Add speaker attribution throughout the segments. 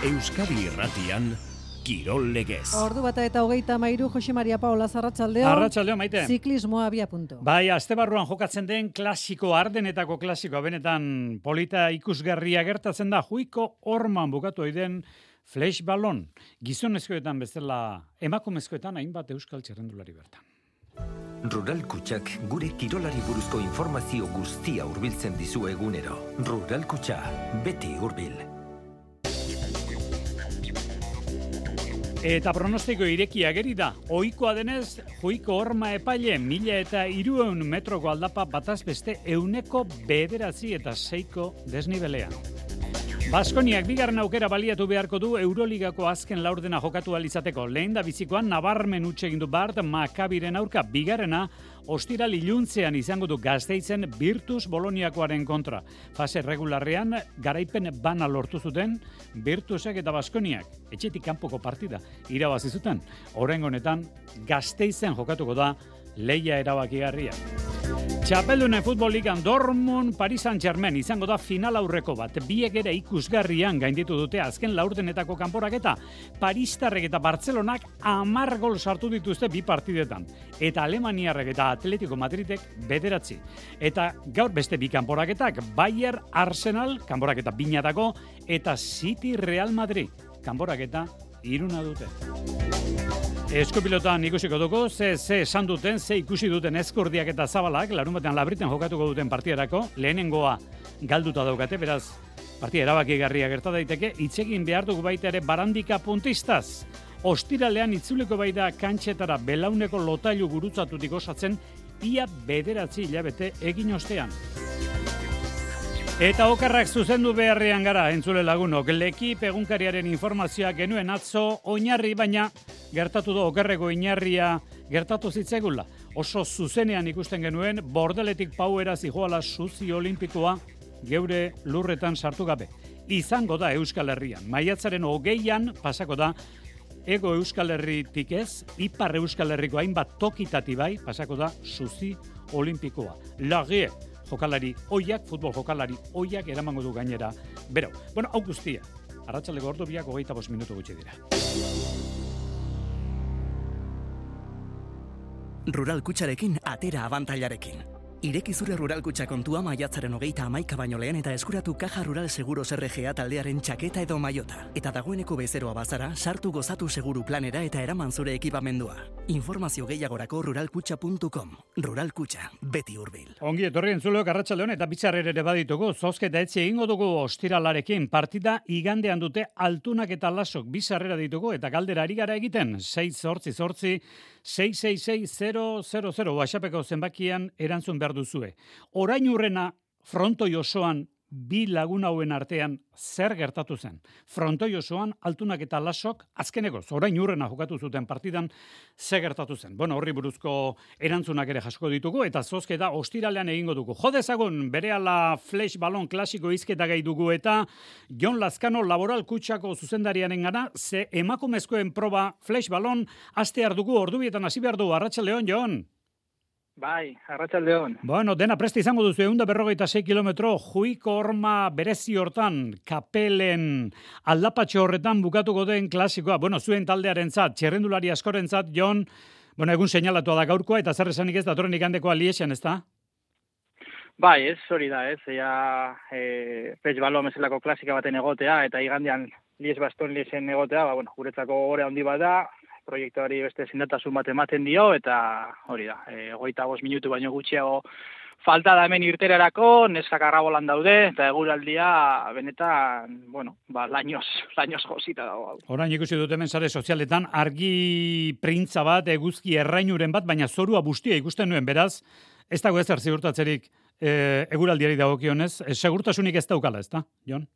Speaker 1: Euskadi Irratian, Kirol Legez.
Speaker 2: Ordu bata eta 33, Jose Maria Paola, arratsaldeon.
Speaker 3: Arratsaldeon, Maite.
Speaker 2: Ziklismoa abia punto.
Speaker 3: Bai, astebarruan jokatzen den klasiko, ardenetako klasikoa, benetan polita ikusgarria gertatzen da, juiko horman bukatu oiden flash ballon. Gizonezkoetan bezala, emakumezkoetan hainbat euskal txerrendulari bertan.
Speaker 4: Rural Kutxak gure kirolari buruzko informazio guztia hurbiltzen dizu egunero. Rural Kutxa, beti hurbil.
Speaker 3: Eta pronostiko irekia geri da. Ohikoa denez, juiko horma epaile 1.300 metroko aldapa bataz beste 9,9 desnibelean. Baskoniak bigarren aukera baliatu beharko du Euroligako azken laurdena jokatu alizateko. Lehen da bizikoan nabarmen utxe egin du Bart Makabiren aurka, bigarrena ostiral iluntzean izango du Gasteizen Virtus Boloniakoaren kontra. Fase regularrean garaipen bana lortu zuten Virtusek eta Baskoniak. Etxetik kanpoko partida irabazi zuten. Oraingo honetan Gasteizen jokatuko da lehia erabakigarria. Txapeldunen futbol ligan Dortmund Paris Saint-Germain izango da final aurreko bat. Biek ere ikusgarrian gainditu dute azken laurdenetako kanporaketa. Paristarrek eta Bartzelonak 10 gol sartu dituzte bi partidetan. Eta Alemaniarrek eta Atletico Madridek 9. Eta gaur beste bi kanporaketak, Bayern Arsenal kanporaketa binatako eta City Real Madrid kanporaketa 3 dute. Eskopilotan ikusiko dugu, ze esan duten, ze ikusi duten Eskurdiak eta Zabalak, larunbatean Labriten jokatuko duten partidarako, lehenengoa galduta daukate, beraz, partida erabakigarria gerta daiteke, itzegin behar dugu baita ere Barandika puntistaz. Ostiralean itzuliko baita kantxetara belauneko lotailu gurutzatutik osatzen, ia 9 hilabete egin ostean. Eta okerrak zuzendu beharrean gara, entzule lagunok. Lekip egunkariaren informazioa genuen atzo oinarri, baina gertatu da okerreko oinarria gertatu zitzaigula. Oso zuzenean ikusten genuen, Bordeletik Pauera zijoala suzi olimpikoa geure lurretan sartu gabe. Izango da Euskal Herrian. Maiatzaren 20an pasako da Ego Euskal Herritik ez, Ipar Euskal Herriko hainbat tokitati bai pasako da suzi olimpikoa. Lagie jokalari oiak, futbol jokalari oiak eramango du gainera. Bero, bueno, hau guztia. Arratsaldeko ordu biak 25 minutu gutxi dira.
Speaker 5: Rural Kutxarekin atera abantailarekin. Ireki zure Rural Kutxa kontua maiatzaren 31 baino lehen eta eskuratu Caja Rural Seguros RGA taldearen txaketa edo maiota. Eta dagoeneko bezeroa bazara, sartu gozatu seguru planera eta eraman zure ekipamendua. Informazio gehiagorako ruralkutxa.com. Rural Kutxa, beti hurbil.
Speaker 3: Ongi etorri entzuleok arratsaldeon eta bitzarrer ere baditugu. Zozketa etxe egingo dugu ostiralarekin. Partida igandean dute Altunak eta Lasok bizarrera ditugu eta galdera ari gara egiten. 688 666 WhatsAppeko zenbakian erantzun behar duzue. Orain urrena frontoi osoan bi lagun hauen artean zer gertatu zen. Frontoi osoan Altunak eta Lasok azkenekoz orain urrena jokatu zuten partidan zer gertatu zen. Bueno, horri buruzko erantzunak ere jasko ditugu eta zozketa ostiralean egingo dugu. Jodezagun berehala flash ballon klasiko hizketa gai dugu eta Jon Lazkano Laboral Kutxako zuzendariaren gana, ze emakumezkoen proba flash ballon astear dugu ordubietan hasi behar du. Arratsaldeon, Jon.
Speaker 6: Bai, arratsaldeon.
Speaker 3: Bueno, dena preste izango duzu 156 kilometro juiko horma berezi hortan, Kapelen aldapatxo horretan bukatuko den klasikoa. Bueno, zuen taldearentzat, txerrendulari askorentzat, Jon, bueno, egun seinalatua da gaurkoa eta zer esanik ez datorren igandekoa Liexen, ezta?
Speaker 6: Bai, ez hori da, ez. Flash ballon bezalako klasika baten egotea eta igandean Lies-Bastogne-Liesen egotea, bueno, guretzako gore handi bat da. Proiektuari beste zindatasun bat ematen dio, eta hori da, 25 minutu baino gutxiago falta da hemen irterarako, neskak arrabolan daude, eta eguraldia benetan, bueno, lainoz josita dago.
Speaker 3: Orain ikusi dut hemen sare sozialetan, argi printza bat, eguzki errainuren bat, baina zorua bustia ikusten nuen, beraz, ez dago ezer ziurtatzerik eguraldiari dagokionez, segurtasunik ez daukala, ezta, Jon?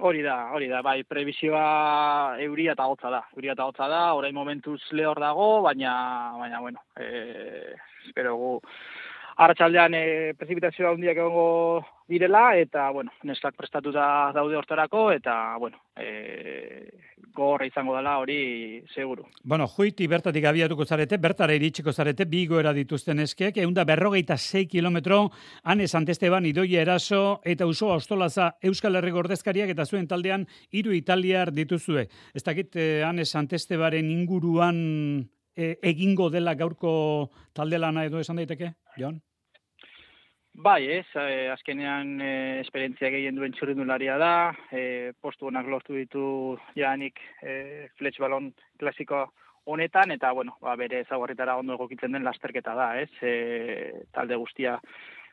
Speaker 6: Hori da, bai, prebizioa euria eta hotza da, orain momentuz lehor dago, baina bueno, espero gu arratsaldean prezipitazio handiak egongo direla, eta, bueno, neskak prestatuta daude hortarako, eta, bueno, gogorra izango dela hori seguru.
Speaker 3: Bueno, Juiti bertatik abiatuko zarete, bertara iritsiko zarete, bi igoera dituzten eskeak, 156 kilometro, Ane Santesteban, Idoia Eraso, eta Usoa Ostolaza Euskal Herriko ordezkariak, eta zuen taldean 3 italiar dituzue. Ez dakit, Ane Santestebaren inguruan egingo dela gaurko talde lana edo esan daiteke, Jon?
Speaker 6: Bai, azkenean esperientzia gehien duen txirrindularia da, postu honak lortu ditu janik fletx balon klasiko honetan, eta, bueno, bere ezaugarritara ondo egokitzen den lasterketa da, talde guztia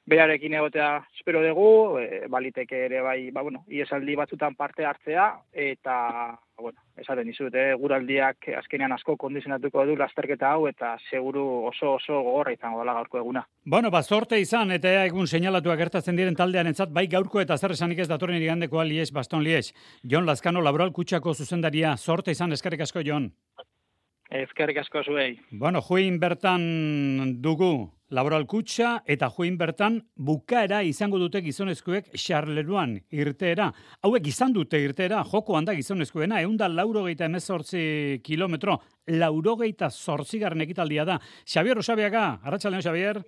Speaker 6: berarekin egotea espero dugu, baliteke ere bai, iesaldi batzutan parte hartzea, eta, bueno, esaten dizut, guraldiak azkenean asko kondizionatuko du lasterketa hau, eta seguru oso gogorra izango dela gaurko eguna.
Speaker 3: Bueno, zorte izan, eta egun seinalatuak gertatzen diren taldearentzat bai gaurko eta zer esanik ez datorren igandekoa Lies, Baston Lies. Jon Lazkano, Laboral Kutxako zuzendaria, zorte izan, eskerrik asko, Jon.
Speaker 6: Eskerrik asko zuei.
Speaker 3: Bueno, juin bertan dugu Laboral Kutxa, eta juin bertan bukaera izango dute gizonezkoek Charleroan irteera. Hauek izan dute irteera, joko handa gizonezkoena, 188 kilometro, 88 ekitaldia da. Xabier Osabiaga, arratsaldeon Xabier.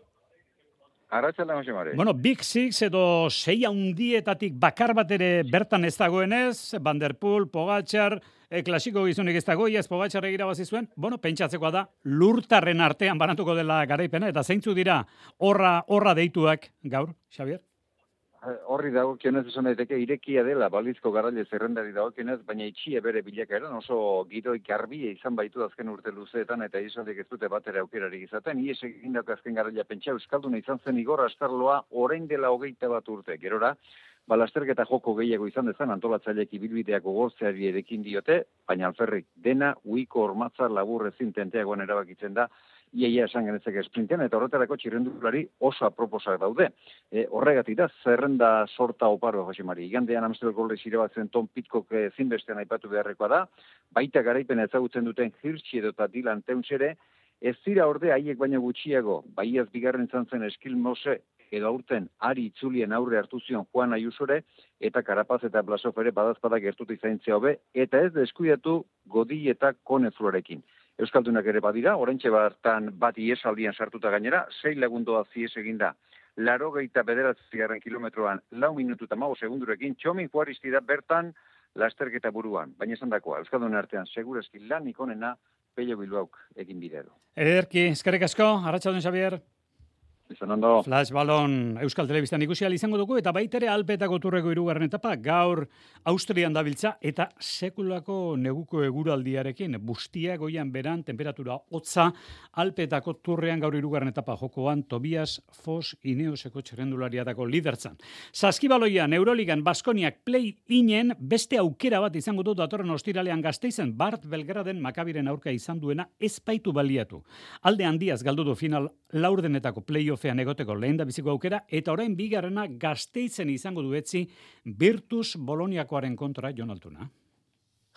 Speaker 7: Arratsaldeon Xamare.
Speaker 3: Bueno, Big Six edo 6 handietatik bakar bat ere bertan ez dagoenez, Van der Poel, Pogačar, klasiko gizonik ez dago, iaz Pogačar irabazi zuen, bueno, pentsatzekoa da, lurtarren artean banatuko dela garaipena, eta zeintzu dira horra deituak gaur, Xabier?
Speaker 7: Horri dagokionez esan daiteke irekia dela balizko garaile zerrendari dagokionez, baina itxia bere bilakaeran oso gidoi garbia izan baitu azken urte luzeetan eta izandik ez dute batera aukerarik izaten. Ies egindako azken garaila pentsa euskalduna izan zen Igor Astarloa orain dela 21 urte. Gerora, lasterketa joko gehiago izan dezan antolatzaileek ibilbideak gogortzeari erekin diote, baina alferrik dena uiko ormatzar labur ezin tenteagoan erabakitzen da, iaia esan genezake esprintean, eta horretarako txirrendulari oso aproposak daude. Horregatik da, zerrenda sorta oparo, Jose Mari. Igandean Amstelgo Goldez irabatzen Tom Pitcock zinbestean aipatu beharrekoa da, baita garaipena ezagutzen duten Hirschi edota Dylan Teunsere, ez dira orde haiek baino gutxiago, baiaz bigarren izan zen Eskil Mose, edo aurten Ari Itzulien aurre hartu zion Juan Ayusore, eta Karapaz eta Blasov ere badazpada gertutu izaintzea hobe, eta ez deskuidatu Godi eta Konefluarekin. Euskaldunak ere badira, oraintxe bartan bat iesaldian sartuta gainera, 6 lagundoa zies eginda. 89 kilometroan, 4 minutu eta 15 segundurekin, Txomin Juaristi da bertan lasterketa buruan. Baina esan dakoa, Euskaldun artean, segurazki lanik onena, Pello Bilbauk egin bidea du.
Speaker 3: Ederki, eskerrik asko, arratsaldeon Xabier.
Speaker 7: Izan ondo.
Speaker 3: Flash Balon Euskal Telebistan ikusi ahal izango dugu, eta baitere Alpetako turreko 3. etapa, gaur Austrian dabiltza, eta sekulako neguko eguraldiarekin, bustia goian beran, temperatura hotza, Alpetako turrean gaur 3. etapa jokoan, Tobias Fos Ineoseko txerrendulariatako lidertzan. Saskibaloian, Euroligan, Baskoniak play-inen beste aukera bat izango du datorren ostiralean Gasteizen, Bart Belgraden Makabiren aurka izan duena ezpaitu baliatu. Alde handiaz galdu du final laurdenetako playoffean egoteko lehen da biziko aukera, eta orain bigarrena Gasteizen izango duetzi Virtus Boloniakoaren kontra Jon Altuna.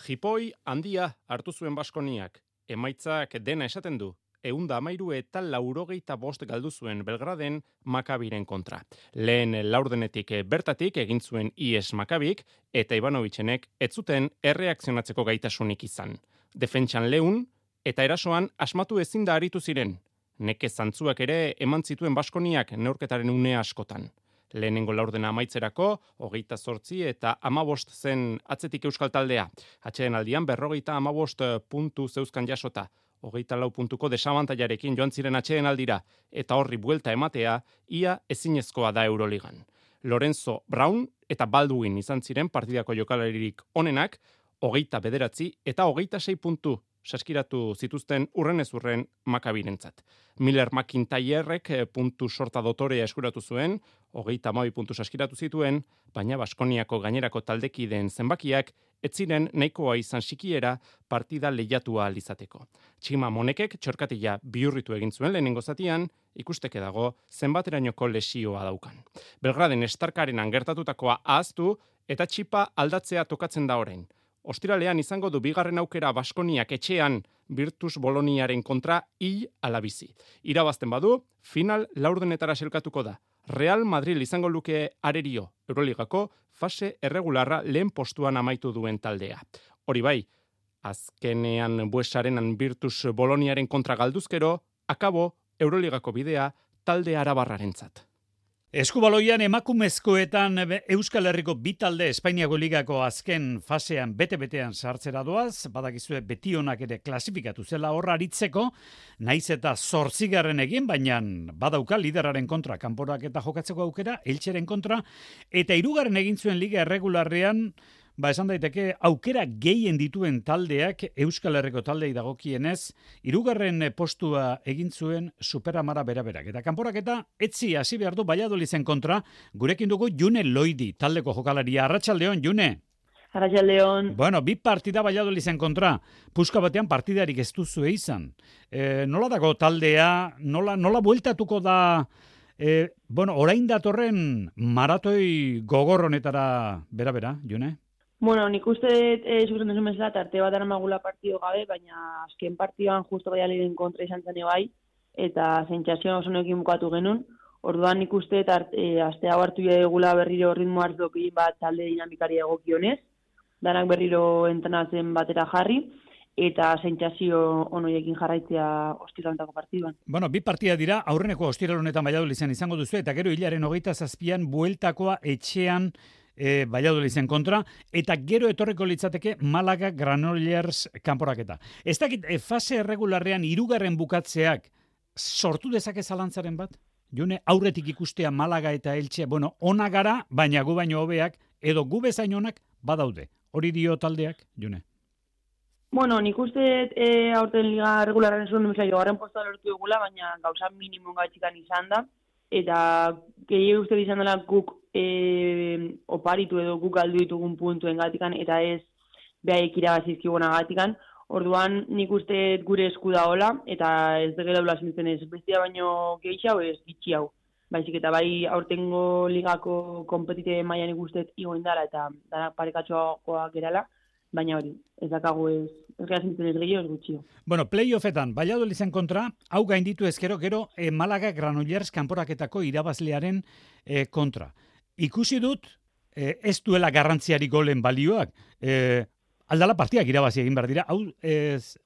Speaker 8: Jipoi handia hartu zuen Baskoniak, emaitzak dena esaten du, 113 eta 85 galdu zuen Belgraden Makabiren kontra. Lehen laurdenetik bertatik egin zuen IES Makabik, eta Ivanovitzenek ez zuten erreakzionatzeko gaitasunik izan. Defentsan leun, eta erasoan asmatu ezin da aritu ziren. Neke zantzuak ere eman zituen Baskoniak neurketaren une askotan. Lehenengo laurdena amaitzerako, 28 eta 15 zen atzetik euskal taldea. Atxeden aldian 55 puntu zeuzkan jasota. 24 puntuko desabantailarekin joan ziren atxeden aldira, eta horri buelta ematea, ia ezinezkoa da Euroligan. Lorenzo Brown eta Baldwin izan ziren partidako jokalaririk onenak, 29 eta 26 puntu saskiratu zituzten urrenez urren Makabirentzat. Miller McIntyrek puntu sorta dotorea eskuratu zuen, 32 puntu saskiratu zituen, baina Baskoniako gainerako taldekideen zenbakiak ez ziren nahikoa izan sikiera partida lehiatua alizateko. Txima Monekek txorkatila bihurritu egin zuen lehenengo zatian, ikusteke dago zenbaterainoko lesioa daukan. Belgraden Starkarenan gertatutakoa ahaztu eta txipa aldatzea tokatzen da orain. ostiralean izango du bigarren aukera Baskoniak etxean Virtus Boloniaren kontra hil ala bizi. Irabazten badu, final laurdenetara selkatuko da. Real Madrid izango luke arerio, Euroligako fase erregularra lehen postuan amaitu duen taldea. Hori bai, azkenean Buesarenan Virtus Boloniaren kontra galduzkero, akabo Euroligako bidea talde arabarrarentzat.
Speaker 3: Eskubaloian emakumezkoetan Euskal Herriko bi talde Espainiako ligako azken fasean bete-betean sartzera doaz, badakizue Betionak ere klasifikatu zela horra aritzeko, naiz eta 8. egin, baina badauka lideraren kontra kanporak eta jokatzeko aukera, Elcheren kontra, eta 3. egin zuen liga erregularrean, esan daiteke aukera gehien dituen taldeak Euskal Herriko taldei dagokienez, 3. postua egin zuen Superamara beraberak. Eta kanporaketa etzi hasi behar du Valladoliden kontra, gurekin dugu June Loidi, taldeko jokalaria. Arratsaldeon, June.
Speaker 9: Arratsaldeon.
Speaker 3: Bueno, bi partida Valladoliden kontra, puska batean partidarik ez duzue izan. Nola dago taldea, nola bueltatuko da, orain datorren maratoi gogor honetara bera, June?
Speaker 9: Bueno, nik uste zuzen duzu bezala, tarte bat aramagula partido gabe, baina azken partioan justo Valladoliden kontra izan zen bai, eta sentsazio oso nekin bukatu genuen. Orduan nik uste aste hau hartu egula berriro ritmo hartzokin bat talde dinamikari egokionez, danak berriro entrenatzen batera jarri, eta sentsazio onoiekin jarraitzea ostiralentako partiduan.
Speaker 3: Bueno, bi partida dira, aurreneko ostiral honetan Valladoliden izango duzu, eta gero hilaren 27an bueltakoa etxean Valladoliden kontra, eta gero etorreko litzateke Malaga Granollers kanporaketa. Ez dakit, fase erregularrean 3. bukatzeak sortu dezake zalantzaren bat? June, aurretik ikustea Malaga eta Elche, ona gara, baina gu baino hobeak, edo gu bezain onak badaude. Hori dio taldeak, June?
Speaker 9: Bueno, nik uste aurten liga regularren zuen duela jogarren postua lortu egula, baina gauza minimum gaitxikan izan da, eta gehi uste izan dela guk oparitu edo guk galdu ditugun puntuen gatikan, eta ez behaik irabazizkiguna gatikan. Orduan nik uste gure esku da hola, eta ez degela ula zintzen ez bestia baino gehitxe hau ez gitxi hau. Baizik eta bai aurtengo ligako kompetite mailan ikustet igoen dara eta dara parekatxoagoa gerala, baina hori, ez dakagu ez gara zintzen ez gehiago ez gutxio.
Speaker 3: Bueno, playoffetan, Valladoliden kontra, hau gainditu ezkero, gero Malaga Granollers kanporaketako irabazlearen kontra. Ikusi dut, ez duela garrantziari golen balioak, aldala partiak irabazi egin behar dira, hau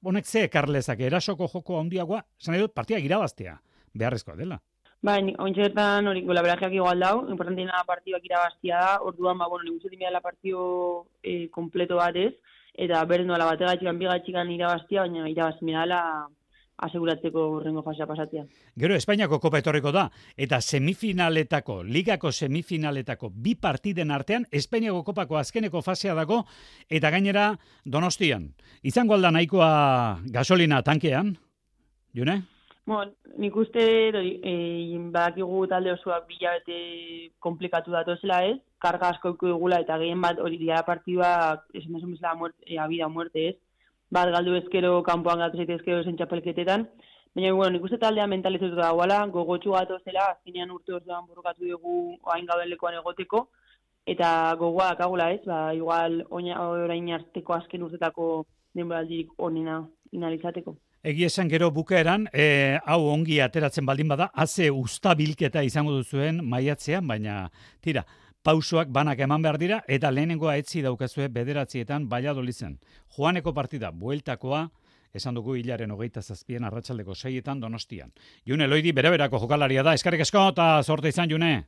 Speaker 3: honek ze ekarlezak erasoko joko handiagoa, zan edut partiak irabaztea, beharrezkoa dela.
Speaker 9: Bai, ointxetan hori golaberajeak igual dau, importantiena partioak irabaztia da, orduan, nik uste dimela partio kompleto bat ez, eta beren doala bategatxikan, bigatxikan irabaztia, baina irabazimena dela aseguratzeko rengo fasea pasatia.
Speaker 3: Gero Espainiako kopa etorriko da, eta ligako semifinaletako bi partiden artean, Espainiako kopako azkeneko fasea dago, eta gainera Donostian. Izango alda nahikoa gasolina tankean, June?
Speaker 9: Bueno, nik uste badakigu talde osoak bilabete komplikatu datozela ez, karga asko egula eta gehien bat hori dira partidua, esan desun bezala abida muerte ez, bat galdu ezkero kanpoan gatu zaitezkero zen txapelketetan, baina nik uste taldea mentalizetu da guala, gogotxu gatozela, azkenean urte osoan borrokatu dugu oain gauden lekuan egoteko, eta gogoa dakagula ez, igual orain arteko azken urtetako denboraldirik onena inalizateko.
Speaker 3: Egia esan gero bukaeran, hau ongi ateratzen baldin bada, haze ustabilketa izango duzuen maiatzean, baina tira, pausoak banak eman behar dira, eta lehenengoa etzi daukazue 9etan Valladoliden. Joaneko partida, bueltakoa, esan dugu hilaren 27an arratsaldeko 6etan Donostian. June Loidi bere-berako jokalaria da, eskarrik asko eta zorte izan, June.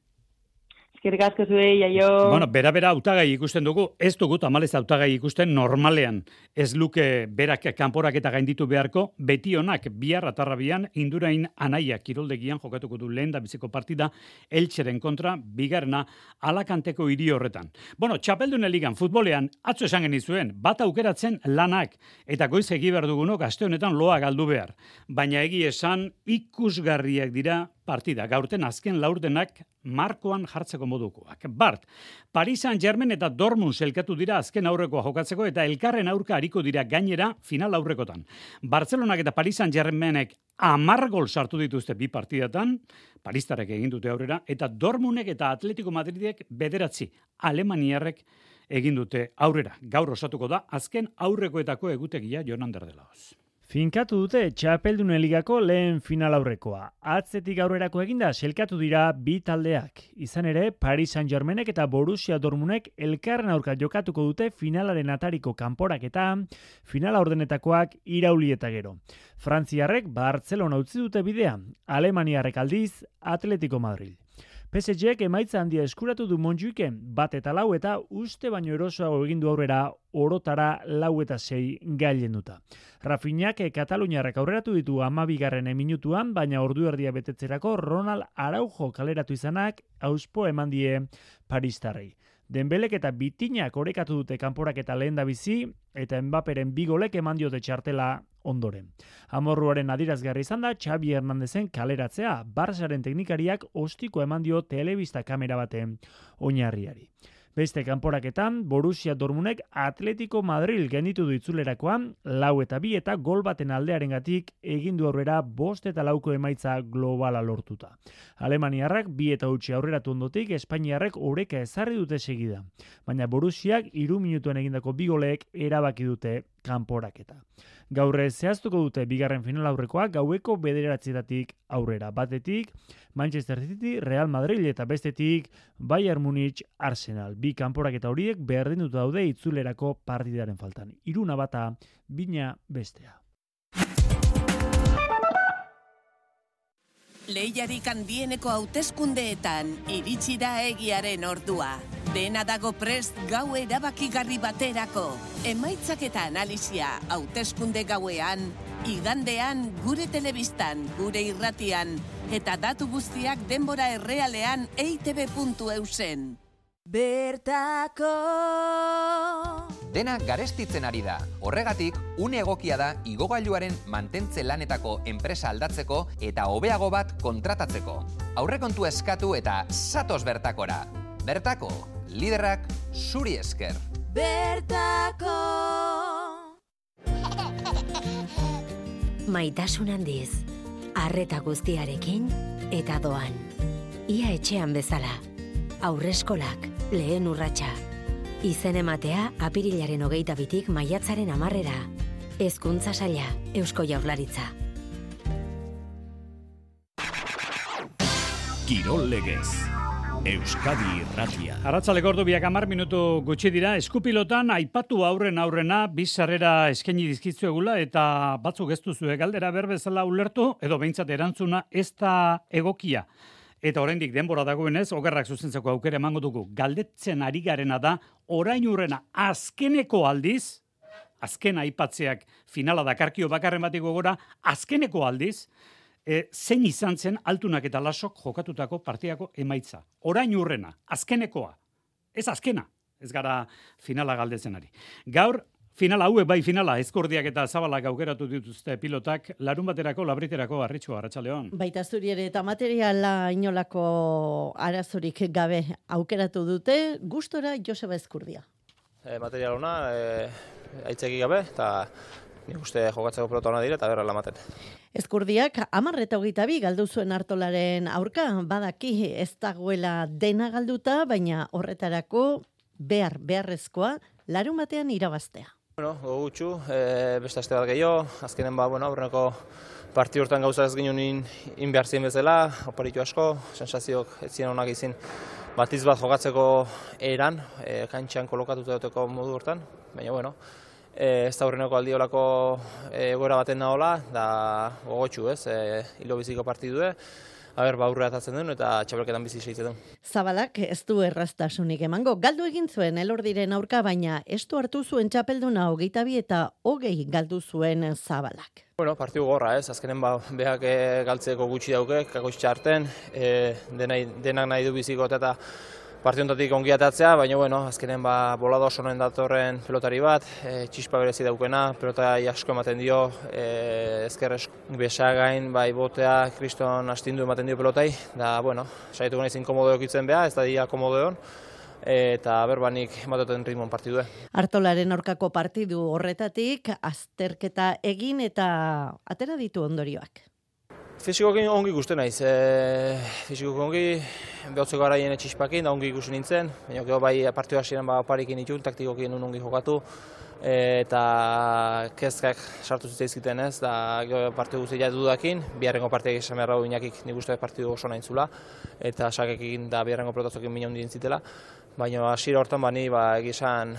Speaker 9: Eskerrik asko zuei, jaio.
Speaker 3: Bueno, bera hautagai ikusten dugu, ez dugu tamalez hautagai ikusten normalean. Ez luke berak kanporak eta gainditu beharko, Betionak bihar atarrabian Indurain Anaia kiroldegian jokatuko du lehen da biziko partida Elcheren kontra bigarrena Alakanteko hiri horretan. Bueno, txapeldunen ligan futbolean atzo esan genizuen, bat aukeratzen lanak eta goiz egi behar dugunok aste honetan loa galdu behar. Baina egi esan ikusgarriak dira partida. Gaurten azken laurdenak markoan jartzeko modukoak. Bart, Paris Saint-Germain eta Dortmund elkatu dira azken aurrekoa jokatzeko eta elkarren aurka hariko dira gainera final aurrekotan. Bartzelonak eta Paris Saint-Germainek 10 gol sartu dituzte bi partidatan, Paristarek egin dute aurrera, eta Dortmundek eta Atletico Madridek 9, Alemaniarrek egin dute aurrera. Gaur osatuko da, azken aurrekoetako egutegia Jon Ander de Lahoz.
Speaker 10: Finkatu dute Txapeldunen Ligako lehen final aurrekoa. Atzetik aurrerako eginda selkatu dira bi taldeak. Izan ere, Paris Saint-Germainek eta Borussia Dortmundek elkarren aurka jokatuko dute finalaren atariko kanporaketa, finala ordenetakoak irauli eta gero. Frantziarrek Barcelona utzi dute bidea, Alemaniarrek aldiz Atletico Madrid. PSG-ek emaitza handia eskuratu du Montjuiken, 1-4 eta uste baino erosoago egin du aurrera orotara 4-6 gailenduta. Rafinhak Kataluniarrak aurreratu ditu 12. minutuan, baina ordu erdia betetzerako Ronald Araujo kaleratu izanak auspo eman die paristarrei. Dembelek eta Bitinak orekatu dute kanporaketa lehendabizi eta Mbapperen 2 golek eman diote txartela ondoren. Amorruaren adierazgarri izan da Xavi Hernandezen kaleratzea, Barçaren teknikariak ostiko eman dio telebista kamera baten oinarriari. Beste kanporaketan, Borussia Dortmundek Atletico Madrid genditu du itzulerakoan, 4-2 eta gol baten aldearengatik egin du aurrera 5-4 emaitza globala lortuta. Alemaniarrak 2-8 aurreratu ondotik, Espainiarrek oreka ezarri dute segida. Baina Borussiak 3 minutuen egindako 2 golek erabaki dute kanporaketa. Gaur zehaztuko dute bigarren final aurrekoak gaueko 9:00 aurrera. Batetik Manchester City, Real Madrid eta bestetik Bayern Munich, Arsenal. Bi kanporaketa horiek berdinduta daude itzulerako partidaren faltan. 1-1 bina bestea.
Speaker 11: Lehiarik handieneko hauteskundeetan iritsi da egiaren ordua. Dena dago prest gau erabakigarri baterako. Emaitzak eta analisia hauteskunde gauean, igandean gure telebistan, gure irratian, eta datu guztiak denbora errealean eitb.eusen.
Speaker 12: Bertako
Speaker 13: Dena garestitzen ari da. Horregatik, une egokia da igogailuaren mantentze lanetako enpresa aldatzeko eta hobeago bat kontratatzeko. Aurrekontu eskatu eta zatoz bertakora. Bertako, liderrak zuri esker.
Speaker 12: Bertako
Speaker 14: Maitasun handiz, arreta guztiarekin eta doan. Ia etxean bezala. Aurreskolak, lehen urratsa. Izen ematea apirilaren 22 maiatzaren 10. Hezkuntza Saila, Eusko Jaurlaritza.
Speaker 1: Kirol legez. Euskadi Irratia.
Speaker 3: Arratsaldeko ordu 10 gutxi dira, eskupilotan aipatu aurrena bizarrera eskaini dizkizuegula eta batzuk ez duzue galdera berbezala ulertu edo behintzat erantzuna ez da egokia. Eta oraindik denbora dagoenez, okerrak zuzentzeko aukera emango dugu. Galdetzen ari garena da, orain urrena azkeneko aldiz, azken aipatzeak finala dakarkio bakarren batiko gora, azkeneko aldiz, zein izan zen altunak eta lasok jokatutako partidako emaitza. Orain urrena, azkenekoa. Ez azkena, ez gara finala galdetzen ari. Gaur, finala hauek bai finala, Ezkordiak eta Zabalak aukeratu dituzte pilotak, larun baterako, labriterako, Arritxu, Arratsaldeon.
Speaker 15: Baita zuri ere eta materiala inolako arazorik gabe aukeratu dute, gustora Joseba Ezkurdia.
Speaker 16: Material ona, aitzeki gabe, eta nik uste jokatzeko pilota ona dira eta berra lamaten.
Speaker 15: Ezkurdiak 10:22 galdu zuen Artolaren aurka, badaki ez dagoela dena galduta, baina horretarako beharrezkoa larun batean irabaztea.
Speaker 16: Bueno, gogutxu, beste aste bat gehiago, azkenen aurreneko parti hortan gauza ez ginen in behar ziren bezala, oparitu asko, sensazioak ez ziren onak izin batiz bat jokatzeko eran, kantxan kolokatuta duteko modu hortan, baina bueno, ez da aurreneko aldiolako egoera baten nahola, da gogotxu ez, hilo biziko partidue, aurrera atatzen duen eta txapelketan bizi segitzen duen.
Speaker 15: Zabalak ez du erraztasunik emango. Galdu egin zuen Elordiren aurka, baina ez du hartu zuen txapelduna 22 eta 20 galdu zuen Zabalak.
Speaker 16: Bueno, partidu gorra ez, azkenen behak galtzeko gutxi dauke, kakoitz txarten, denak nahi du biziko eta partiontatik ongi atatzea, baina bueno, azkenen bolado oso noen datorren pelotari bat, txispa berezi daukena, pelota asko ematen dio, ezker besagain, bai botea, kriston astindu ematen dio pelotai, da, bueno, saietuko nahiz inkomodo ekitzen beha, ez da dia komodo egon, eta berbanik ematen ritmon partidue.
Speaker 15: Artolaren aurkako partidu horretatik, azterketa egin eta atera ditu ondorioak.
Speaker 16: Fisikoki ongi ikusten naiz, fisikoki ongi, behotzeko garaien etxispakin, da ongi ikusi nintzen, baina gero bai partidua hasieran oparikin itun, taktikoki nun ongi jokatu, eta kezkak sartu zitzaizkiten ez, da gero partidu guztia dudakin, biharrengo partidak esan behar hau inakik nik uste partidu oso nahin zula, eta sakekin da biharrengo protozokin mina hundien zitela, baina hasiera hortan bani egizan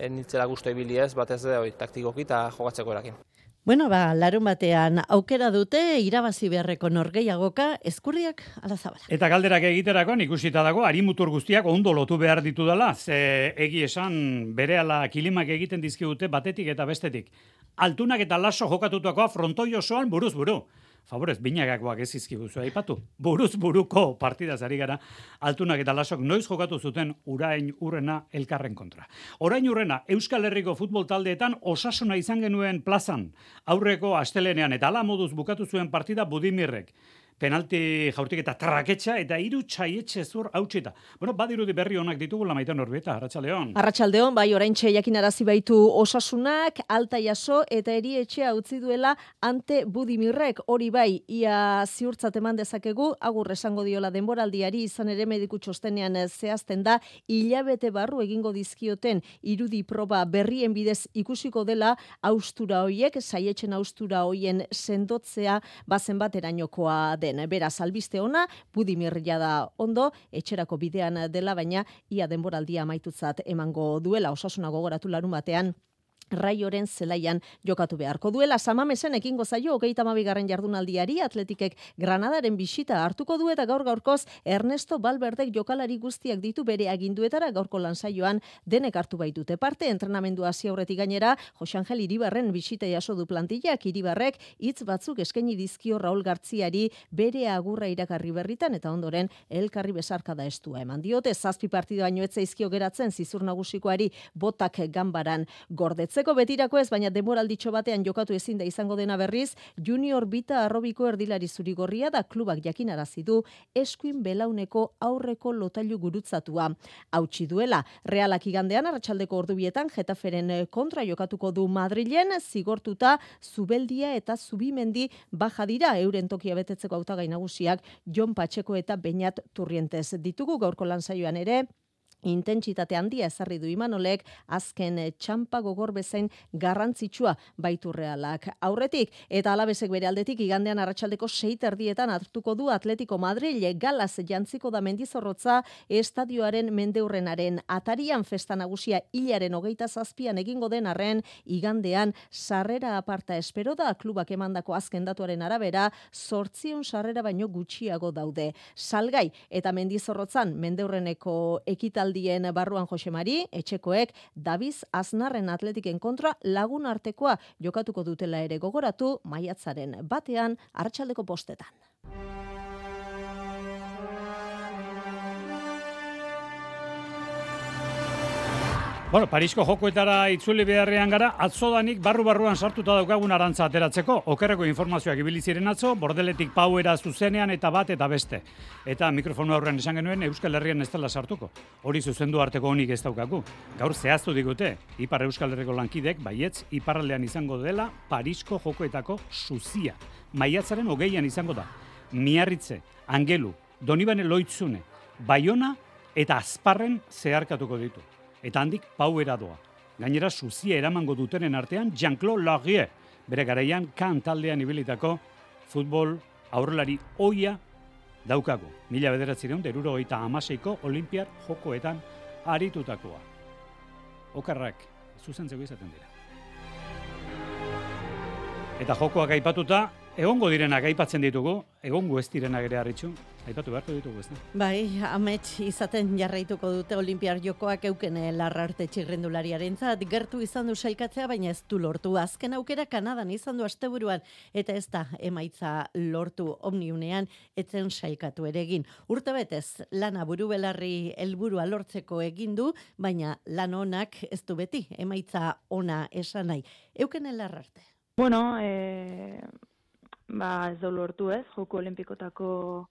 Speaker 16: nitzela guztu ibili ez, batez taktikoki eta jokatzeko erakin.
Speaker 15: Bueno, larun batean aukera dute irabazi beharreko norgehiagoka Ezkurriak ala Zabala.
Speaker 3: Eta galderak egiterakoan ikusita dago arimutur guztiak ondo lotu behar ditu dela, ze egi esan berehala kilimak egiten dizkigute batetik eta bestetik. Altunak eta Laso jokatutakoa frontoi osoan buruz buru. Favorez, binagakoak ez izkiguzu aipatu. Buruz buruko partidaz ari gara, Altunak eta Lasok noiz jokatu zuten Urain Urrena elkarren kontra. Orain Urrena, Euskal Herriko futbol taldeetan Osasuna izan genuen plazan. Aurreko astelenean eta hala moduz bukatu zuen partida Budimirrek. Penalti jaurtik eta traketxa eta 3 txaietxe zur hautsita. Bueno, badirudi berri honak ditugu Lamaitan Orbieta, Arratsaldeon.
Speaker 17: Arratsaldeon, bai, oraintxe jakinarazi baitu Osasunak, alta jaso eta erietxea utzi duela ante Budimirrek. Hori bai, ia ziurtzat eman dezakegu, agur esango diola denboraldiari, izan ere mediku txostenean zehazten da, hilabete barru egingo dizkioten irudi proba berrien bidez ikusiko dela austura hoiek, saietxen austura hoien sendotzea bazen baterainokoa den. Beraz, albiste ona, Budimir da ondo, etxerako bidean dela, baina ia denboraldia amaitutzat emango duela. Osasuna gogoratu larun batean, Raioren zelaian jokatu beharko duela. Samamesen ekingo zaio 32. jardunaldiari, Atletikek Granadaren bisita hartuko du eta gaur-gaurkoz Ernesto Valverdek jokalari guztiak ditu bere aginduetara gaurko lansaioan denek hartu baitute parte. Entrenamendu hasi aurretik gainera, Jose Angel Iribarren bisita jaso du plantillak. Iribarrek hitz batzuk eskaini dizkio Raul Gartziari bere agurra iragarri berritan eta ondoren elkarri besarkada estua eman diote. 7 partidu baino ez zaizkio geratzen zizur nagusikoari botak ganbaran gordetzen. Betirako ez, baina demoralditxo batean jokatu ezin da izango dena berriz, Junior Bita Arrobiko erdilari zurigorria da klubak jakinarazi du eskuin belauneko aurreko lotailu gurutzatua. Hautsi duela, Realak igandean arratsaldeko ordubietan Getaferen kontra jokatuko du Madrilen, zigortuta Zubeldia eta Zubimendi baja dira, euren tokia betetzeko hautagai nagusiak Jon Patxeko eta Beñat Turrientes ditugu gaurko lansaioan ere. Intentsitate handia ezarri du Imanolek, azken txampa gogor bezain garrantzitsua baitu Realak aurretik, eta Alabesek bere aldetik igandean arratsaldeko 6:30 hartuko du Atletico Madrid, galaz jantziko da Mendizorrotza estadioaren mendeurrenaren atarian. Festa nagusia hilaren 27an egingo den arren, igandean sarrera aparta espero da, klubak emandako azken datuaren arabera 800 sarrera baino gutxiago daude. Salgai eta Mendizorrotzan mendeurreneko ekitaldien barruan Jose Mari, etxekoek Daviz Aznarren Atletiken kontra lagun artekoa jokatuko dutela ere gogoratu, maiatzaren batean arratsaldeko 5:00.
Speaker 3: Bueno, Parisko jokoetara itzuli beharrean gara, atzodanik barru-barruan sartuta daukagun arantza ateratzeko. Okerreko informazioak ibili ziren atzo, Bordeletik Pauera zuzenean eta bat eta beste. Eta mikrofonu aurrean esan genuen Euskal Herrian ez dela sartuko. Hori zuzendu arteko honik ez daukagu. Gaur zehaztu digute, Ipar Euskal Herriko lankidek, baietz, iparraldean izango dela Parisko jokoetako zuzia. Maiatzaren 20an izango da. Miarritze, Angelu, Donibane Loitzune, Baiona eta Azparren zeharkatuko ditu. Eta handik Pauera doa. Gainera, zuzia eramango dutenen artean Jean-Claude Laguier, bere garaian kan taldean ibilitako futbol aurrelari oia daukagu. 1976ko Olinpiar jokoetan aritutakoa. Okarrak zuzentzeko izaten dira. Eta jokoak aipatuta, egongo direnak aipatzen ditugu, egongo ez direnak ere harritxu, aipatu beharko ditugu ez da.
Speaker 15: Bai, amets izaten jarraituko dute Olinpiar jokoak euken Larrarte txirrendulariarentzat, gertu izan du sailkatzea, baina ez du lortu. Azken aukera Kanadan izan du asteburuan, eta ez da emaitza lortu Omniunean, etzen sailkatu ere egin. Urtebetez, lana buru belarri helburua lortzeko egin du, baina lan onak ez du beti, emaitza ona esan nahi. Euken Larrarte.
Speaker 9: Bueno, ez da lortu ez, Joko Olimpikotako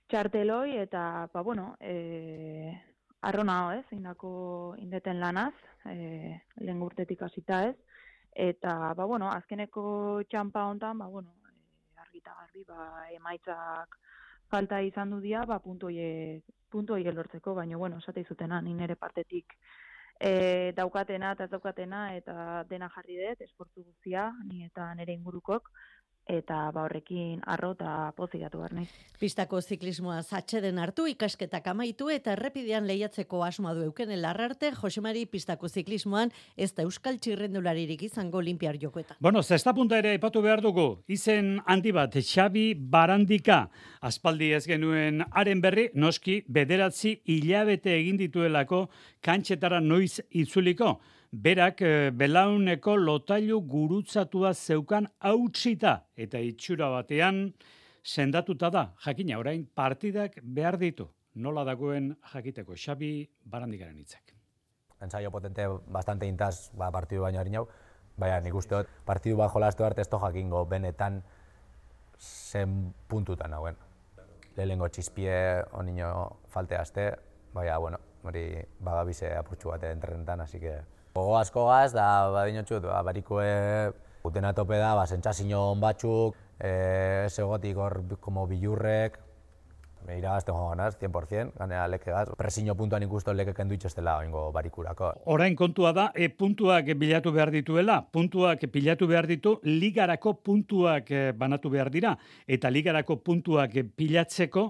Speaker 9: txarteloi, eta, arrona ez, indeten lanaz, lehen urtetik hasita ez, eta, azkeneko txampa hontan, eta garbi, emaitzak falta izan du dia, puntu horiek lortzeko, baina, bueno, esate izutena, ni nire partetik daukatena eta ez daukatena, eta dena jarri dut, esportu guztia, ni eta nire ingurukok, eta horrekin arro eta pozik gatu behar nahi.
Speaker 15: Pistako ziklismoa atxeden hartu, ikasketak amaitu eta errepidean lehiatzeko asmoa du Eukene Larrarte, Josemari pistako ziklismoan ez da euskal txirrendularirik izango Olinpiar Jokoetan.
Speaker 3: Bueno, zesta punta ere aipatu behar dugu, izen handi bat, Xabi Barandika, aspaldi ez genuen haren berri, noski bederatzi hilabete egin dituelako kantxetara noiz itzuliko. Berak belauneko lotailu gurutzatua zeukan hautsita eta itxura batean sendatuta da. Jakina, orain partidak behar ditu. Nola dagoen jakiteko Xabi Barandikaren hitzak.
Speaker 18: Ensaio potente bastante intaz partidu baino harinau, baina nik uste dut partidu bat jolastu arte ez to jakingo benetan zen puntutan nagoen. Lehenengo txispie onino falte aste, baina, bueno, hori bagabize apurtxu bat entrenetan, así que gogo asko gaz, da badinotxut, barikoe guten atope da, sentsazio on batzuk, segotik hor como bilurrek, iragazten joan ganaz, 100%, ganea leke gaz. Presiño puntuan ikusten leke kendu itxestela oingo barikurako.
Speaker 3: Orain kontua da, puntuak bilatu behar dituela, puntuak pilatu behar ditu, ligarako puntuak banatu behar dira, eta ligarako puntuak pilatzeko,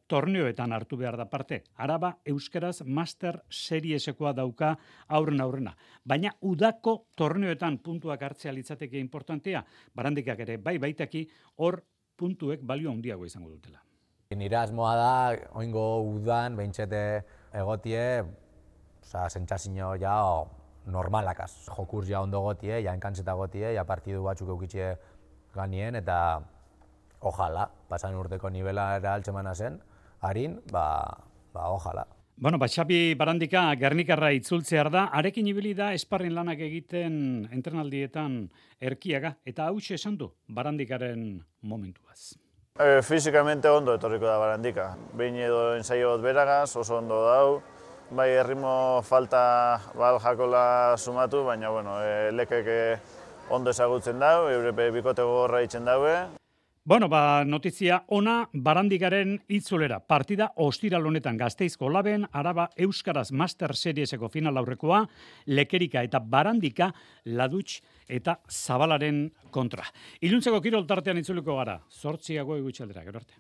Speaker 3: torneoetan hartu behar da parte. Araba Euskaraz Master Seriesekoa dauka aurrena. Baina udako torneoetan puntuak hartzea litzateke importantea, Barandikak ere baitaki hor puntuek balio handiago izango dutela.
Speaker 18: Nire asmoa da, oingo udan, behintzete egotie, sentsazio ja normalakaz. Jokurs ja ondo gotie, ja enkantzeta gotie, ja partidu batzuk eukitxe ganien, eta ojala, pasan urteko nivelara altxemana zen, harin, ojala.
Speaker 3: Bueno, Xabi Barandika Gernikarra itzultzear da, arekin ibili da esparrin lanak egiten entrenaldietan erkiaga, eta hauxe esan du Barandikaren momentuaz.
Speaker 19: Fizikamente ondo etorriko da Barandika. Behin edo ensaio bat beragaz, oso ondo dau. Bai, erritmo falta jakola sumatu, baina, bueno, lekek ondo ezagutzen dau, eurepe bikote gogorra itzen daue.
Speaker 3: Bueno, notizia ona Barandikaren itzulera. Partida ostiral honetan Gasteizko Laben, Araba Euskaraz Master Serieseko final aurrekoa, Lekerika eta Barandika, Ladutx eta Zabalaren kontra. Iluntzeko kirol tartean itzuliko gara. 8 gutxi aldera, gero arte.